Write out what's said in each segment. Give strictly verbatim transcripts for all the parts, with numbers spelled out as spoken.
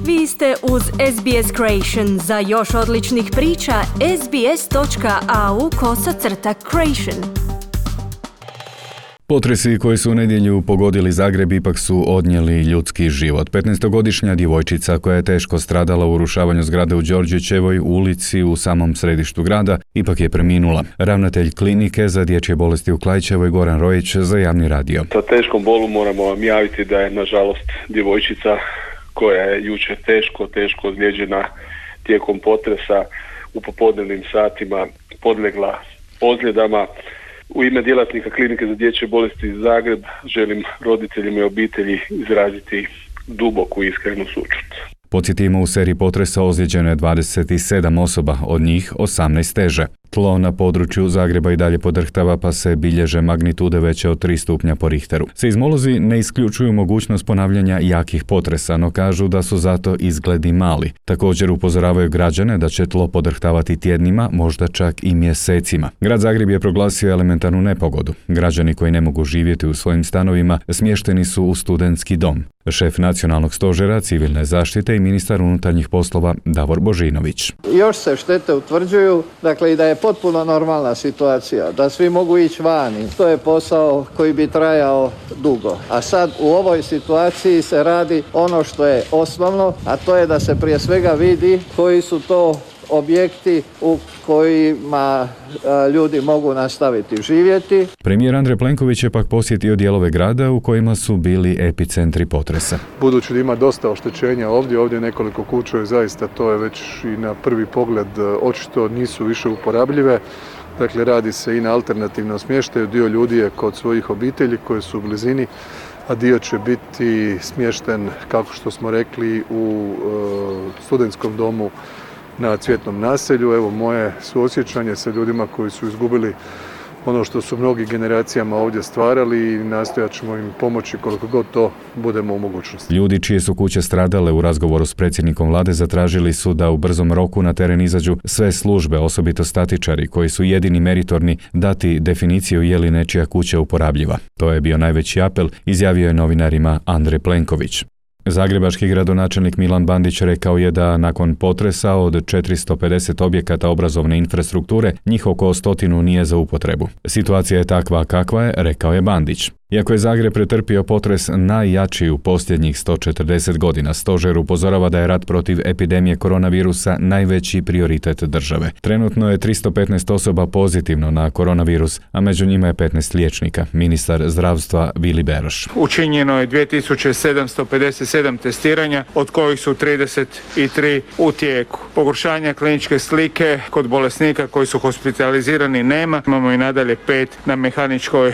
Vi ste uz S B S Creation. Za još odličnih priča, sbs.au kosacrta creation. Potresi koji su u nedjelju pogodili Zagreb ipak su odnijeli ljudski život. petnaestogodišnja djevojčica koja je teško stradala u urušavanju zgrade u Đorđićevoj ulici u samom središtu grada ipak je preminula. Ravnatelj klinike za dječje bolesti u Klaićevoj Goran Rojić za javni radio. Sa teškom bolu moramo vam javiti da je nažalost djevojčica koja je jučer teško, teško ozlijeđena tijekom potresa u popodnevnim satima podlegla ozljedama. U ime djelatnika klinike za dječje bolesti iz Zagreb želim roditeljima i obitelji izraziti duboku iskrenu sućut. Podsjetimo, u seriji potresa ozlijeđeno je dvadeset sedam osoba, od njih osamnaest teže. Tlo na području Zagreba i dalje podrhtava pa se bilježe magnitude veće od tri stupnja po Richteru. Seizmolozi ne isključuju mogućnost ponavljanja jakih potresa, no kažu da su zato izgledi mali. Također upozoravaju građane da će tlo podrhtavati tjednima, možda čak i mjesecima. Grad Zagreb je proglasio elementarnu nepogodu. Građani koji ne mogu živjeti u svojim stanovima smješteni su u studentski dom. Šef nacionalnog stožera civilne zaštite i ministar unutarnjih poslova Davor Božinović. Još se štete utvrđuju, dakle i da je potpuno normalna situacija, da svi mogu ići vani. To je posao koji bi trajao dugo. A sad u ovoj situaciji se radi ono što je osnovno, a to je da se prije svega vidi koji su to objekti u kojima a, ljudi mogu nastaviti živjeti. Premijer Andrej Plenković je pak posjetio dijelove grada u kojima su bili epicentri potresa. Budući da ima dosta oštećenja ovdje, ovdje nekoliko kuća je zaista, to je već i na prvi pogled očito nisu više uporabljive. Dakle, radi se i na alternativnom smještaju. Dio ljudi je kod svojih obitelji koje su u blizini, a dio će biti smješten, kako što smo rekli, u e, studentskom domu na Cvjetnom naselju. Evo moje suosjećanje sa ljudima koji su izgubili ono što su mnogi generacijama ovdje stvarali i nastojat ćemo im pomoći koliko god to budemo u mogućnosti. Ljudi čije su kuće stradale u razgovoru s predsjednikom vlade zatražili su da u brzom roku na teren izađu sve službe, osobito statičari koji su jedini meritorni dati definiciju je li nečija kuća uporabljiva. To je bio najveći apel, izjavio je novinarima Andrej Plenković. Zagrebački gradonačelnik Milan Bandić rekao je da nakon potresa od četiristo pedeset objekata obrazovne infrastrukture njih oko stotinu nije za upotrebu. Situacija je takva kakva je, rekao je Bandić. Iako je Zagreb pretrpio potres najjači u posljednjih sto četrdeset godina, stožer upozorava da je rat protiv epidemije koronavirusa najveći prioritet države. Trenutno je tristo petnaest osoba pozitivno na koronavirus, a među njima je petnaest liječnika. Ministar zdravstva Vili Beroš. Učinjeno je dvije tisuće sedamsto pedeset sedam testiranja, od kojih su trideset tri u tijeku. Pogoršanja kliničke slike kod bolesnika koji su hospitalizirani nema. Imamo i nadalje pet na mehaničkoj e,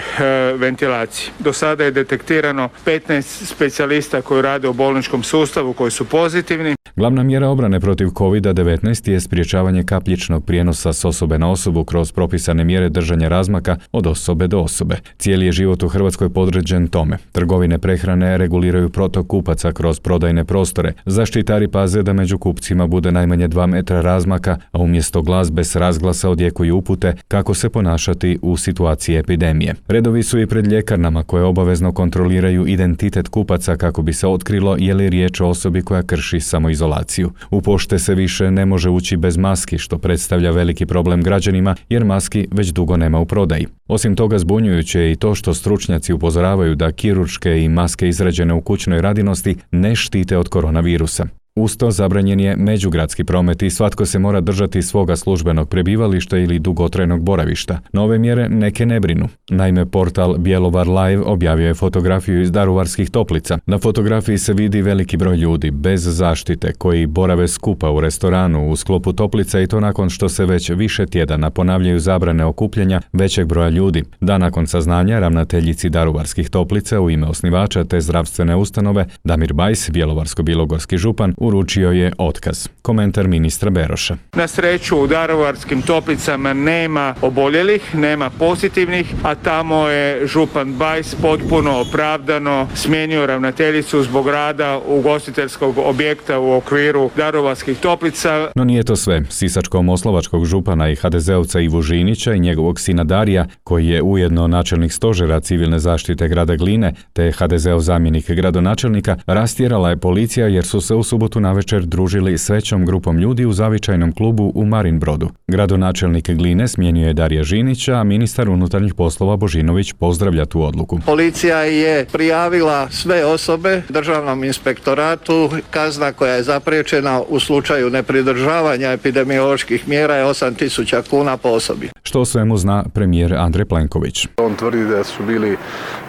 ventilaciji. Do sada je detektirano petnaest specijalista koji rade u bolničkom sustavu koji su pozitivni. Glavna mjera obrane protiv kovid devetnaest je sprječavanje kapljičnog prijenosa s osobe na osobu kroz propisane mjere držanja razmaka od osobe do osobe. Cijeli je život u Hrvatskoj podređen tome. Trgovine prehrane reguliraju protok kupaca kroz prodajne prostore. Zaštitari paze da među kupcima bude najmanje dva metra razmaka, a umjesto glazbe s razglasa odjekuju upute kako se ponašati u situaciji epidemije. Redovi su i pred ljekarnama koje obavezno kontroliraju identitet kupaca kako bi se otkrilo je li riječ o osobi koja krši samoizolaciju. U pošte se više ne može ući bez maski, što predstavlja veliki problem građanima jer maski već dugo nema u prodaji. Osim toga, zbunjujuće je i to što stručnjaci upozoravaju da kirurške i maske izrađene u kućnoj radinosti ne štite od koronavirusa. Uz to zabranjen je međugradski promet i svatko se mora držati svoga službenog prebivališta ili dugotrajnog boravišta. Nove mjere neke ne brinu. Naime, portal Bjelovar Live objavio je fotografiju iz Daruvarskih toplica. Na fotografiji se vidi veliki broj ljudi bez zaštite koji borave skupa u restoranu u sklopu toplica i to nakon što se već više tjedana ponavljaju zabrane okupljanja većeg broja ljudi. Da nakon saznanja ravnateljici Daruvarskih toplica u ime osnivača te zdravstvene ustanove Damir Bajs, bjelovarsko-bilogorski župan, uručio je otkaz. Komentar ministra Beroša. Na sreću u Daruvarskim toplicama nema oboljelih, nema pozitivnih, a tamo je župan Bajs potpuno opravdano smijenio ravnateljicu zbog rada ugostiteljskog objekta u okviru Daruvarskih toplica. No nije to sve. Sisačko-moslavačkog župana i ha de zeovca Ivu Žinića i njegovog sina Darija, koji je ujedno načelnik stožera civilne zaštite grada Gline, te ha de zeov zamjenik gradonačelnika, rastjerala je policija jer su se u subotu subotu navečer družili s većom grupom ljudi u zavičajnom klubu u Marinbrodu. Gradonačelnik Gline smijenio je Darija Žinića, a ministar unutarnjih poslova Božinović pozdravlja tu odluku. Policija je prijavila sve osobe Državnom inspektoratu. Kazna koja je zapriječena u slučaju nepridržavanja epidemioloških mjera je osam tisuća kuna po osobi. Što o svemu zna premijer Andrej Plenković. On tvrdi da su bili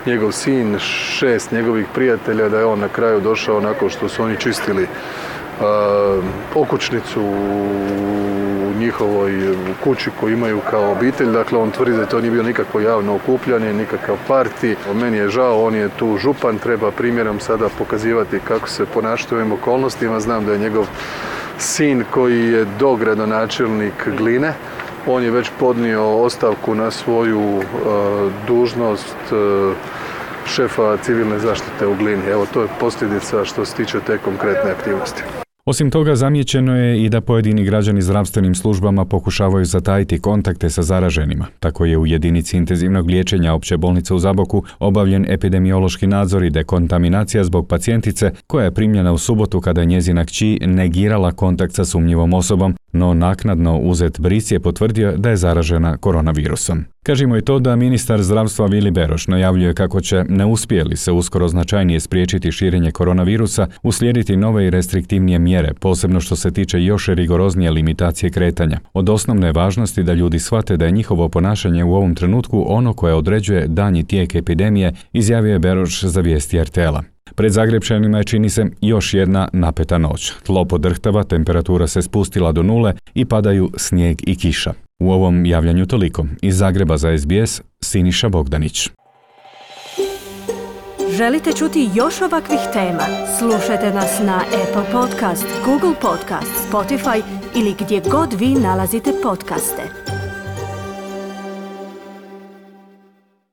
njegov sin, šest njegovih prijatelja, da je on na kraju došao nakon što su oni čistili uh, okućnicu u njihovoj kući koju imaju kao obitelj. Dakle, on tvrdi da to nije bilo nikakvo javno okupljanje, nikakav parti. Meni je žao, on je tu župan, treba primjerom sada pokazivati kako se ponašati u ovim okolnostima. Znam da je njegov sin koji je dogradonačelnik Gline, on je već podnio ostavku na svoju uh, dužnost uh, šefa civilne zaštite u Glini. Evo, to je posljedica što se tiče te konkretne aktivnosti. Osim toga, zamijećeno je i da pojedini građani zdravstvenim službama pokušavaju zatajiti kontakte sa zaraženima. Tako je u jedinici intenzivnog liječenja Opće bolnice u Zaboku obavljen epidemiološki nadzor i dekontaminacija zbog pacijentice koja je primljena u subotu kada je njezina kći negirala kontakt sa sumnjivom osobom, no naknadno uzet bris je potvrdio da je zaražena koronavirusom. Kažimo i to da ministar zdravstva Vili Beroš najavljuje kako će, ne uspije li se uskoro značajnije spriječiti širenje koronavirusa, uslijediti nove i restriktivnije mjere, posebno što se tiče još rigoroznije limitacije kretanja. Od osnovne važnosti da ljudi shvate da je njihovo ponašanje u ovom trenutku ono koje određuje daljnji tijek epidemije, izjavio je Beroš za vijesti er te el-a. Pred Zagrepčanima je, čini se, još jedna napeta noć. Tlo podrhtava, temperatura se spustila do nule i padaju snijeg i kiša. U ovom javljanju toliko. Iz Zagreba za es be es, Siniša Bogdanić. Želite čuti još ovakvih tema? Slušajte nas na Apple Podcast, Google Podcast, Spotify ili gdje god vi nalazite podcaste.